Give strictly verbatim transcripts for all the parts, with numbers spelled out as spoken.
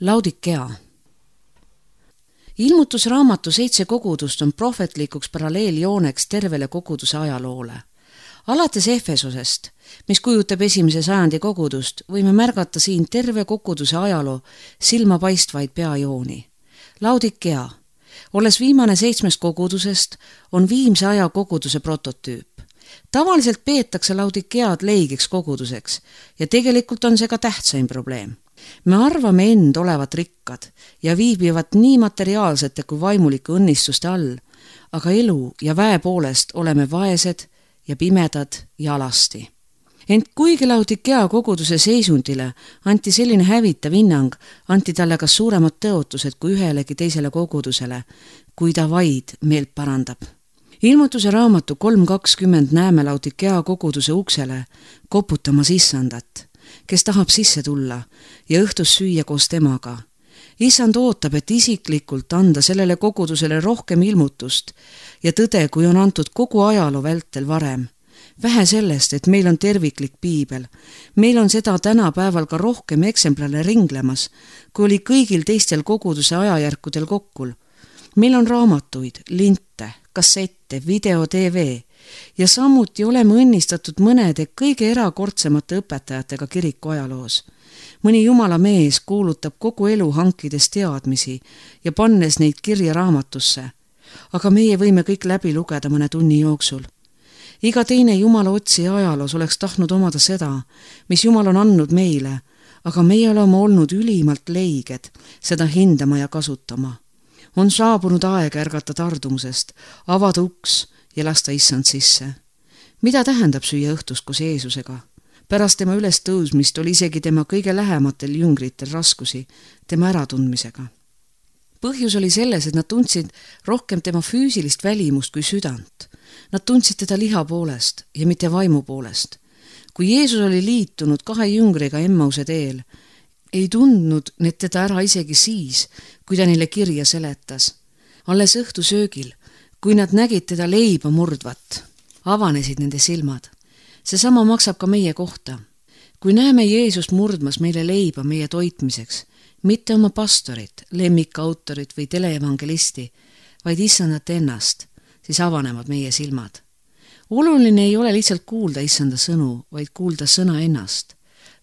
Laodikea. Ilmutusraamatu seitse kogudust on prohvetlikuks paralleeljooneks tervele koguduse ajaloole. Alates Efesosest, mis kujutab esimese sajandi kogudust, võime märgata siin terve koguduse ajaloo silmapaistvaid peajooni. Laodikea, olles viimane seitsmest kogudusest, on viimse aja koguduse prototüüp. Tavaliselt peetakse Laodikead leigiks koguduseks ja tegelikult on see ka tähtsaim probleem. Me arvame end olevat rikkad ja viibivad nii materiaalsete kui vaimulike õnnistuste all, aga elu ja väe poolest oleme vaesed ja pimedad ja alasti. Ent kuigi Laodikea koguduse seisundile anti selline hävitav hinnang, anti talle ka suuremad tõotused kui ühelegi teisele kogudusele, kui ta vaid meelt parandab. Ilmutuse raamatu kolm kakskümmend näeme Laodikea koguduse uksele koputamas issandat, kes tahab sisse tulla ja õhtus süüa koos temaga. Issand ootab, et isiklikult anda sellele kogudusele rohkem ilmutust ja tõde, kui on antud kogu ajaloo vältel varem. Vähe sellest, et meil on terviklik piibel. Meil on seda tänapäeval ka rohkem eksemplare ringlemas, kui oli kõigil teistel koguduse ajajärkudel kokkul. Meil on raamatuid, linte, kassette, video, T V ja samuti oleme õnnistatud mõnede kõige erakordsemate õpetajatega kiriku ajaloos. Mõni jumala mees kuulutab kogu elu hankides teadmisi ja pannes neid kirja raamatusse, aga meie võime kõik läbi lugeda mõne tunni jooksul. Iga teine jumala otsija ajaloos oleks tahtnud omada seda, mis jumal on andnud meile, aga meie oleme olnud ülimalt leiged seda hindama ja kasutama. On saabunud aeg ärgata tardumusest, avada uks ja lasta issand sisse. Mida tähendab süüa õhtust koos Jeesusega? Pärast tema üles tõusmist oli isegi tema kõige lähematel jüngritel raskusi tema äratundmisega. Põhjus oli selles, et nad tundsid rohkem tema füüsilist välimust kui südant. Nad tundsid teda liha poolest ja mitte vaimu poolest. Kui Jeesus oli liitunud kahe jüngriga Emmause teel, ei tundnud need teda ära isegi siis, kui ta neile kirja seletas. Alles õhtusöögil, kui nad nägid teda leiba murdvat, avanesid nende silmad. Seesama maksab ka meie kohta. Kui näeme Jeesust murdmas meile leiba meie toitmiseks, mitte oma pastorit, lemmikautorit või teleevangelisti, vaid issandat ennast, siis avanevad meie silmad. Oluline ei ole lihtsalt kuulda issanda sõnu, vaid kuulda sõna ennast.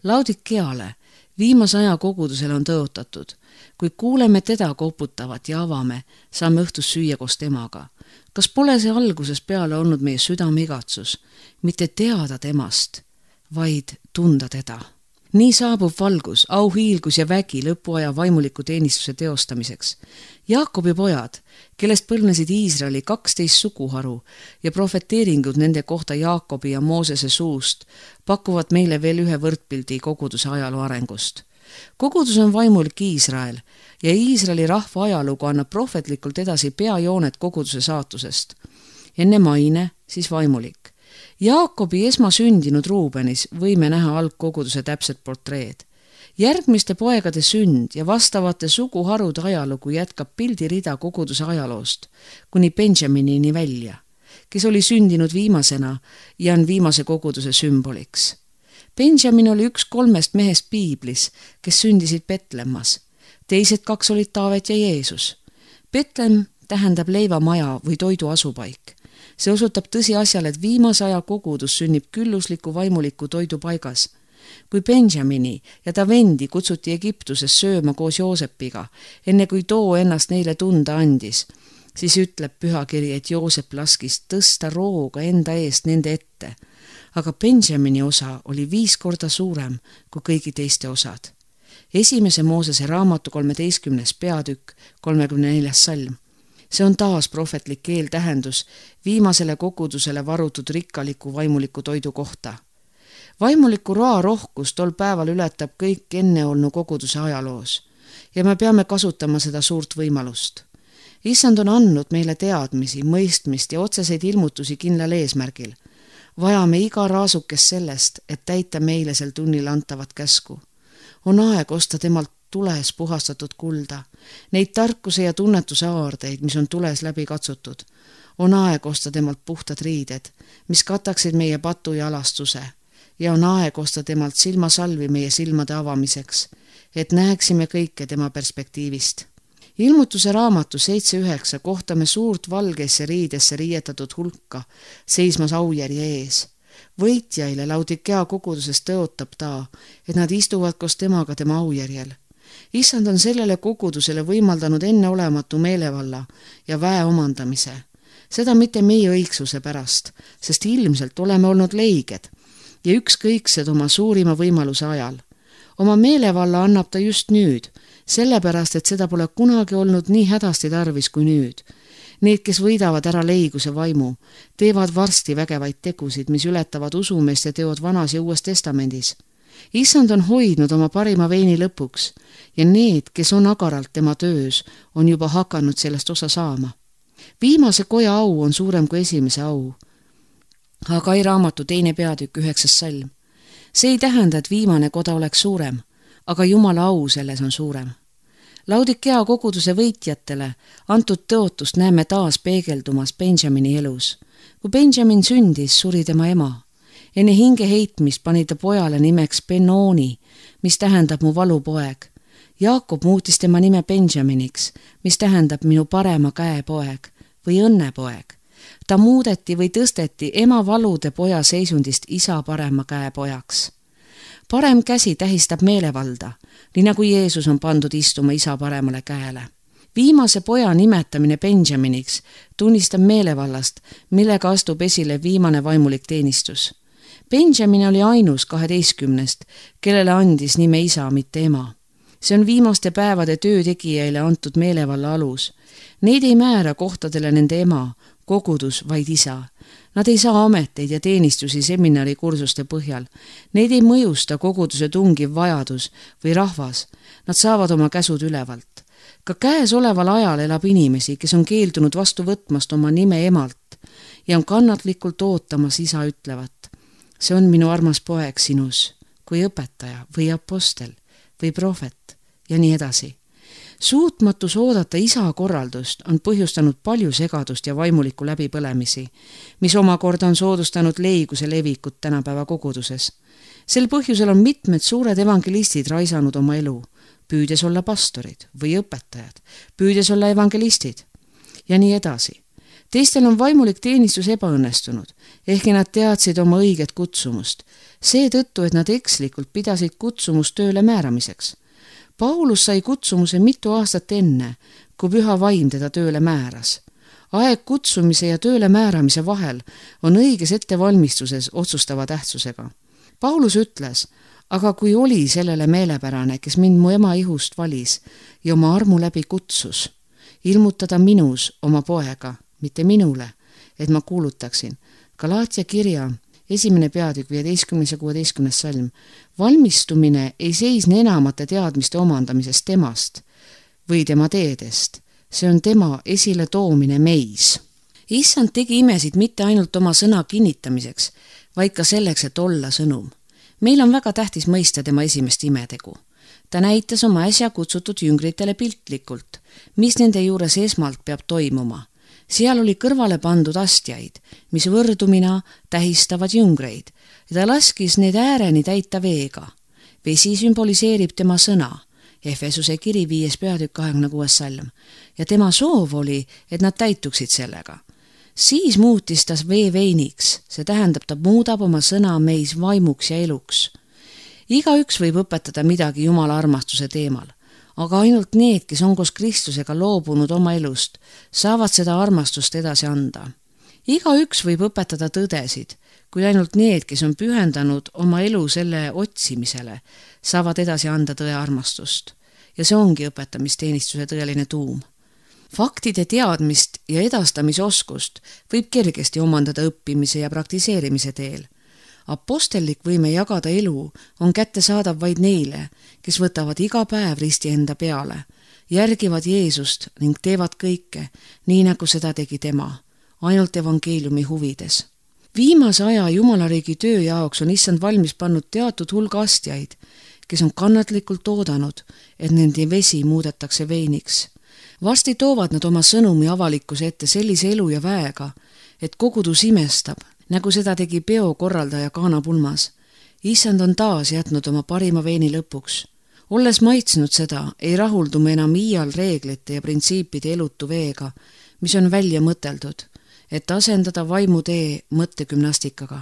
Laodikeale, viimase aja kogudusele on tõotatud. Kui kuuleme teda koputavat ja avame, saame õhtus süüa koos temaga. Kas pole see alguses peale olnud meie südame igatsus, mitte teada temast, vaid tunda teda? Nii saabub valgus, auhiilgus ja vägi lõpuaja vaimuliku teenistuse teostamiseks. Jaakobi pojad, kellest põlvnesid Iisraeli kaksteist suguharu ja profeteeringud nende kohta Jaakobi ja Moosese suust, pakuvad meile veel ühe võrdpildi koguduse ajaloo arengust. Kogudus on vaimulik Iisrael ja Iisraeli rahva ajalugu annab prohvetlikult edasi peajoonet koguduse saatusest. Enne maine, siis vaimulik. Jaakobi esmasündinud Ruubenis võime näha algkoguduse täpset portreed. Järgmiste poegade sünd ja vastavate suguharude ajalugu jätkab pildirida koguduse ajaloost, kuni Benjaminini välja, kes oli sündinud viimasena ja on viimase koguduse sümboliks. Benjamin oli üks kolmest mehest piiblis, kes sündisid Betlemmas. Teised kaks olid Taavet ja Jeesus. Betlem tähendab leivamaja või toidu asupaik. See osutab tõsiasjale, et viimase aja kogudus sünnib küllusliku vaimuliku toidu paigas. Kui Benjamini ja ta vendi kutsuti Egiptuses sööma koos Joosepiga, enne kui too ennast neile tunda andis, siis ütleb pühakiri, et Joosep laskis tõsta rooga enda eest nende ette. Aga Benjamini osa oli viis korda suurem kui kõigi teiste osad. Esimese Moosese raamatu kolmeteistkümnes peatükk, kolmekümne neljas salm. See on taas prohvetlik eeltähendus viimasele kogudusele varutud rikkaliku vaimuliku toidu kohta. Vaimuliku roa rohkus tol päeval ületab kõik enneolnu koguduse ajaloos ja me peame kasutama seda suurt võimalust. Issand on andnud meile teadmisi, mõistmist ja otseseid ilmutusi kindlal eesmärgil. Vajame iga raasukes sellest, et täita meile sel tunnil antavat käsku. On aeg osta temalt tules puhastatud kulda, neid tarkuse ja tunnetuse aardeid, mis on tules läbi katsutud. On aeg osta temalt puhtad riided, mis kataksid meie patu ja alastuse ja on aeg osta temalt silmasalvi meie silmade avamiseks, et näeksime kõike tema perspektiivist. Ilmutuse raamatu seitse üheksa kohtame suurt valgesse riidesse riietatud hulka seismas aujärje ees. Võitjaile Laudikea koguduses tõotab ta, et nad istuvad koos temaga tema aujärjel. Issand on sellele kogudusele võimaldanud enneolematu meelevalla ja väe omandamise. Seda mitte meie õigsuse pärast, sest ilmselt oleme olnud leiged ja ükskõiksed oma suurima võimaluse ajal. Oma meelevalla annab ta just nüüd, sellepärast, et seda pole kunagi olnud nii hädasti tarvis kui nüüd. Need, kes võidavad ära leiguse vaimu, teevad varsti vägevaid tegusid, mis ületavad usumeeste teod Vanas ja Uues Testamendis. Issand on hoidnud oma parima veini lõpuks ja need, kes on agaralt tema töös, on juba hakanud sellest osa saama. Viimase koja au on suurem kui esimese au. Hagai raamatu teine peatükk üheksas salm. See ei tähenda, et viimane koda oleks suurem, aga Jumala au selles on suurem. Laudikea koguduse võitjatele antud tõotust näeme taas peegeldumas Benjamini elus. Kui Benjamin sündis, suri tema ema. Enne hinge heitmist pani ta pojale nimeks Benoni, mis tähendab mu valupoeg. Jaakob muutis tema nime Benjaminiks, mis tähendab minu parema käe poeg või õnnepoeg. Ta muudeti või tõsteti ema valude poja seisundist isa parema käe pojaks. Parem käsi tähistab meelevalda, nii nagu Jeesus on pandud istuma isa paremale käele. Viimase poja nimetamine Benjaminiks tunnistab meelevallast, millega astub esile viimane vaimulik teenistus. Benjamin oli ainus kaheteistkümnest, kellele andis nime isa, mitte ema. See on viimaste päevade töötegijaile antud meelevalla alus. Neid ei määra kohtadele nende ema, kogudus, vaid isa. Nad ei saa ameteid ja teenistusi seminarikursuste põhjal. Neid ei mõjusta koguduse tungiv vajadus või rahvas. Nad saavad oma käsud ülevalt. Ka käes oleval ajal elab inimesi, kes on keeldunud vastu võtmast oma nime emalt ja on kannatlikult ootamas isa ütlevat. See on minu armas poeg sinus, kui õpetaja või apostel või prohvet ja nii edasi. Suutmatus oodata isa korraldust on põhjustanud palju segadust ja vaimulikku läbipõlemisi, mis omakorda on soodustanud leiguse levikut tänapäeva koguduses. Sel põhjusel on mitmed suured evangelistid raisanud oma elu, püüdes olla pastorid või õpetajad, püüdes olla evangelistid ja nii edasi. Teistel on vaimulik teenistus ebaõnnestunud, ehkki nad teadsid oma õiget kutsumust, seetõttu, et nad ekslikult pidasid kutsumust tööle määramiseks. Paulus sai kutsumuse mitu aastat enne, kui püha vaim teda tööle määras. Aeg kutsumise ja tööle määramise vahel on õiges ettevalmistuses otsustava tähtsusega. Paulus ütles, aga kui oli sellele meelepärane, kes mind mu ema ihust valis ja oma armu läbi kutsus, ilmutada minus oma poega, mitte minule, et ma kuulutaksin. Galaatia kirja esimene peatükk viieteistkümnes ja kuueteistkümnes salm. Valmistumine ei seisne enamate teadmiste omandamisest temast või tema teedest. See on tema esile toomine meis. Issand tegi imesid mitte ainult oma sõna kinnitamiseks, vaid ka selleks, et olla sõnum. Meil on väga tähtis mõista tema esimest imetegu. Ta näitas oma äsja kutsutud jüngritele piltlikult, mis nende juures esmalt peab toimuma. Seal oli kõrvale pandud astjaid, mis võrdumina tähistavad jüngreid ja ta laskis need ääreni täita veega. Vesi sümboliseerib tema sõna, Efesuse kiri viies peatükk kahekümne kuues salm, ja tema soov oli, et nad täituksid sellega. Siis muutis ta vee veiniks, see tähendab, ta muudab oma sõna meis vaimuks ja eluks. Igaüks võib õpetada midagi Jumala armastuse teemal. Aga ainult need, kes on koos Kristusega loobunud oma elust, saavad seda armastust edasi anda. Igaüks võib õpetada tõdesid, kui ainult need, kes on pühendanud oma elu selle otsimisele, saavad edasi anda tõe armastust. Ja see ongi õpetamisteenistuse tõeline tuum. Faktide teadmist ja edastamisoskust võib kergesti omandada õppimise ja praktiseerimise teel. Apostellik võime jagada elu on kättesaadav vaid neile, kes võtavad iga päev risti enda peale, järgivad Jeesust ning teevad kõike, nii nagu seda tegi tema, ainult evangeeliumi huvides. Viimase aja Jumalariigi töö jaoks on Issand valmis pannud teatud hulga astjaid, kes on kannatlikult oodanud, et nende vesi muudetakse veiniks. Varsti toovad nad oma sõnumi avalikkuse ette sellise elu ja väega, et kogudus imestab, nagu seda tegi peo korraldaja Kaana pulmas. Issand on taas jätnud oma parima veini lõpuks. Olles maitsnud seda, ei rahuldu me enam iial reeglite ja printsiipide elutu veega, mis on välja mõteldud, et asendada vaimutee mõttegümnastikaga.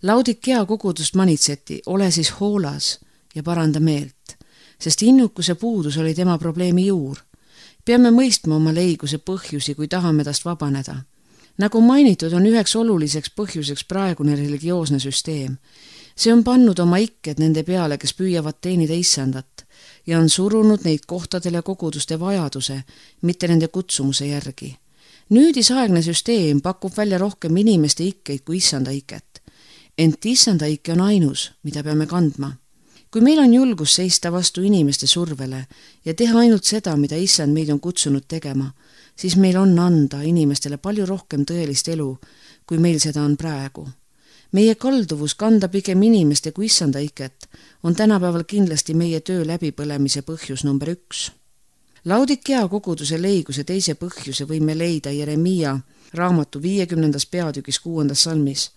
Laodikea kogudust manitseti, ole siis hoolas ja paranda meelt, sest innukuse puudus oli tema probleemi juur. Peame mõistma oma leiguse põhjusi, kui tahame tast vabaneda. Nagu mainitud, on üheks oluliseks põhjuseks praegune religioosne süsteem. See on pannud oma ikked nende peale, kes püüavad teenida issandat ja on surunud neid kohtadele koguduste vajaduse, mitte nende kutsumuse järgi. Nüüdisaegne süsteem pakub välja rohkem inimeste ikkeid kui issanda iket. Ent issanda ikke on ainus, mida peame kandma. Kui meil on julgus seista vastu inimeste survele ja teha ainult seda, mida issand meid on kutsunud tegema, siis meil on anda inimestele palju rohkem tõelist elu, kui meil seda on praegu. Meie kalduvus kanda pigem inimeste kui issanda iket on tänapäeval kindlasti meie töö läbipõlemise põhjus number üks. Laodikea koguduse leiguse teise põhjuse võime leida Jeremiia raamatu viiekümnendas peatükis kuuendas salmis.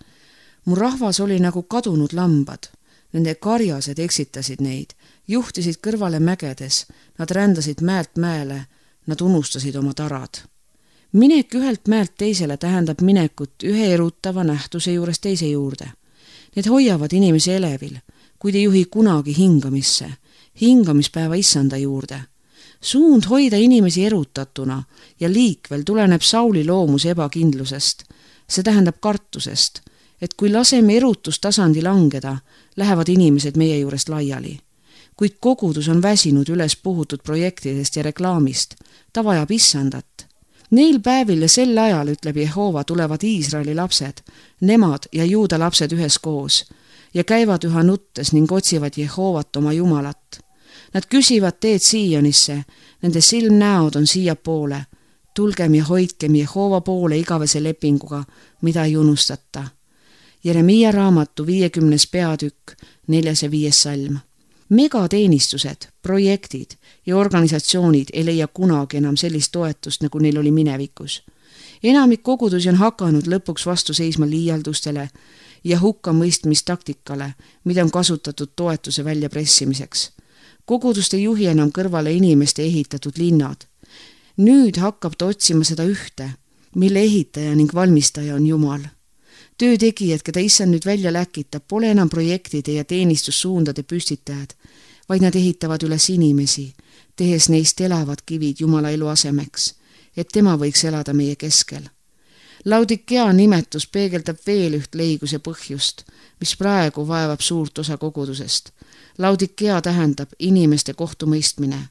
Mu rahvas oli nagu kadunud lambad. Nende karjased eksitasid neid, juhtisid kõrvale mägedes, nad rändasid mäelt mäele, nad unustasid oma tarad. Minek ühelt mäelt teisele tähendab minekut ühe erutava nähtuse juures teise juurde. Need hoiavad inimesi elevil, kuid ei juhi kunagi hingamisse, hingamispäeva issanda juurde. Suund hoida inimesi erutatuna ja liikvel tuleneb Sauli loomuse ebakindlusest. See tähendab kartusest, et kui laseme erutustasandi langeda, lähevad inimesed meie juurest laiali. Kuid kogudus on väsinud üles puhutud projektidest ja reklaamist. Ta vajab issandat. Neil päevil ja sel ajal, ütleb Jehova, tulevad Iisraeli lapsed, nemad ja juuda lapsed ühes koos ja käivad üha nuttes ning otsivad Jehovat oma Jumalat. Nad küsivad teed Siionisse, nende silmnäod on siia poole. Tulgem ja hoidkem Jehova poole igavese lepinguga, mida ei unustata. Jeremiia raamatu viiekümnes peatükk, neljas ja viies salm. Megateenistused, projektid ja organisatsioonid ei leia kunagi enam sellist toetust, nagu neil oli minevikus. Enamik kogudusi on hakanud lõpuks vastu seisma liialdustele ja hukkamõistmistaktikale, mida on kasutatud toetuse väljapressimiseks. Kogudust ei juhi enam kõrvale inimeste ehitatud linnad. Nüüd hakkab ta otsima seda ühte, mille ehitaja ning valmistaja on Jumal. Töötegijad, keda issand nüüd välja läkitab, pole enam projektide ja teenistussuundade püstitajad, vaid nad ehitavad üles inimesi, tehes neist elavad kivid Jumala elu asemeks, et tema võiks elada meie keskel. Laodikea nimetus peegeldab veel üht leiguse põhjust, mis praegu vaevab suurt osa kogudusest. Laodikea tähendab inimeste kohtumõistmine.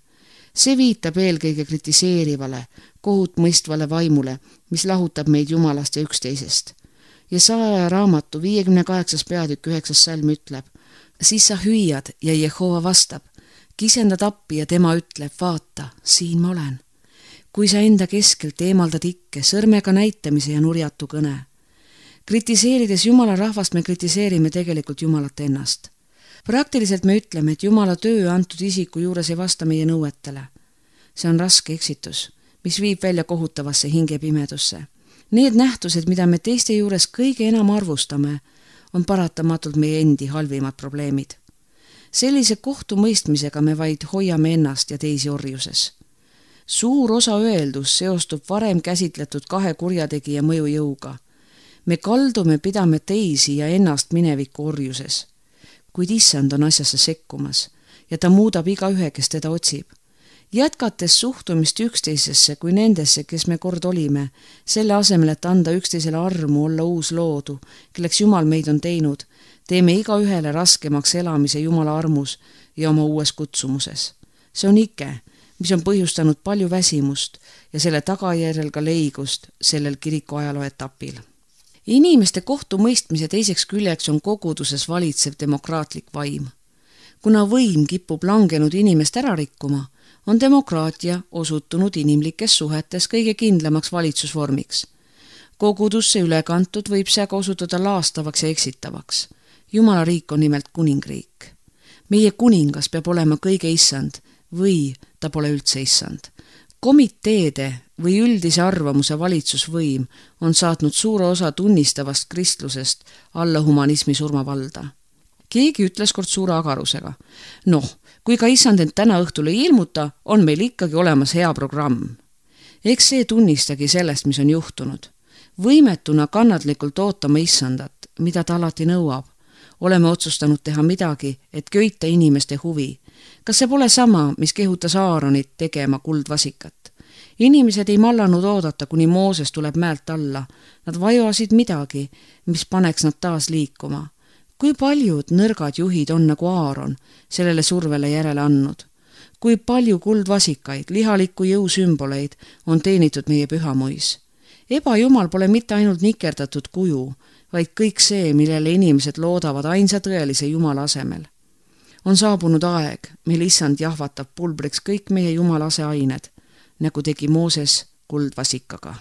See viitab eelkõige kritiseerivale, kohut mõistvale vaimule, mis lahutab meid Jumalast ja üksteisest. Jesaja raamatu viiekümne kaheksas peatükk üheksas salm ütleb, siis sa hüüad ja Jehova vastab, kisendad appi ja tema ütleb, vaata, siin ma olen. Kui sa enda keskelt eemaldad ikke, sõrmega näitamise ja nurjatu kõne. Kritiseerides Jumala rahvast me kritiseerime tegelikult Jumalat ennast. Praktiliselt me ütleme, et Jumala töö antud isiku juures ei vasta meie nõuetele. See on raske eksitus, mis viib välja kohutavasse hingepimedusse. Need nähtused, mida me teiste juures kõige enam arvustame, on paratamatult meie endi halvimad probleemid. Sellise kohtumõistmisega me vaid hoiame ennast ja teisi orjuses. Suur osa öeldus seostub varem käsitletud kahe kurjategija mõjujõuga. Me kaldume pidame teisi ja ennast mineviku orjuses, kuid issand on asjasse sekkumas ja ta muudab iga ühe, kes teda otsib. Jätkates suhtumist üksteisesse kui nendesse, kes me kord olime, selle asemel, et anda üksteisele armu olla uus loodu, kelleks Jumal meid on teinud, teeme iga ühele raskemaks elamise Jumala armus ja oma uues kutsumuses. See on ike, mis on põhjustanud palju väsimust ja selle tagajärjel ka leigust sellel kiriku ajaloo etapil. Inimeste kohtumõistmise teiseks küljeks on koguduses valitsev demokraatlik vaim. Kuna võim kipub langenud inimest ära rikkuma, on demokraatia osutunud inimlikes suhetes kõige kindlamaks valitsusvormiks. Kogudusse ülekantud võib see aga osutuda laastavaks ja eksitavaks. Jumala riik on nimelt kuningriik. Meie kuningas peab olema kõige issand või ta pole üldse issand. Komiteede või üldise arvamuse valitsusvõim on saatnud suure osa tunnistavast kristlusest alla humanismi surmavalda. Keegi ütles kord suure agarusega. Noh, kui ka issand end täna õhtul ei ilmuta, on meil ikkagi olemas hea programm. Eks see tunnistagi sellest, mis on juhtunud. Võimetuna kannatlikult ootama issandat, mida ta alati nõuab. Oleme otsustanud teha midagi, et köita inimeste huvi. Kas see pole sama, mis kehutas Aaronit tegema kuldvasikat? Inimesed ei mallanud oodata, kuni Mooses tuleb mäelt alla. Nad vajuasid midagi, mis paneks nad taas liikuma. Kui paljud nõrgad juhid on nagu Aaron sellele survele järele andnud? Kui palju kuldvasikaid, lihalikku jõusümboleid on teenitud meie pühamuis? Ebajumal pole mitte ainult nikerdatud kuju, vaid kõik see, millele inimesed loodavad ainsa tõelise Jumala asemel. On saabunud aeg, mil issand jahvatab pulbriks kõik meie Jumala aseained, nagu tegi Mooses kuldvasikaga.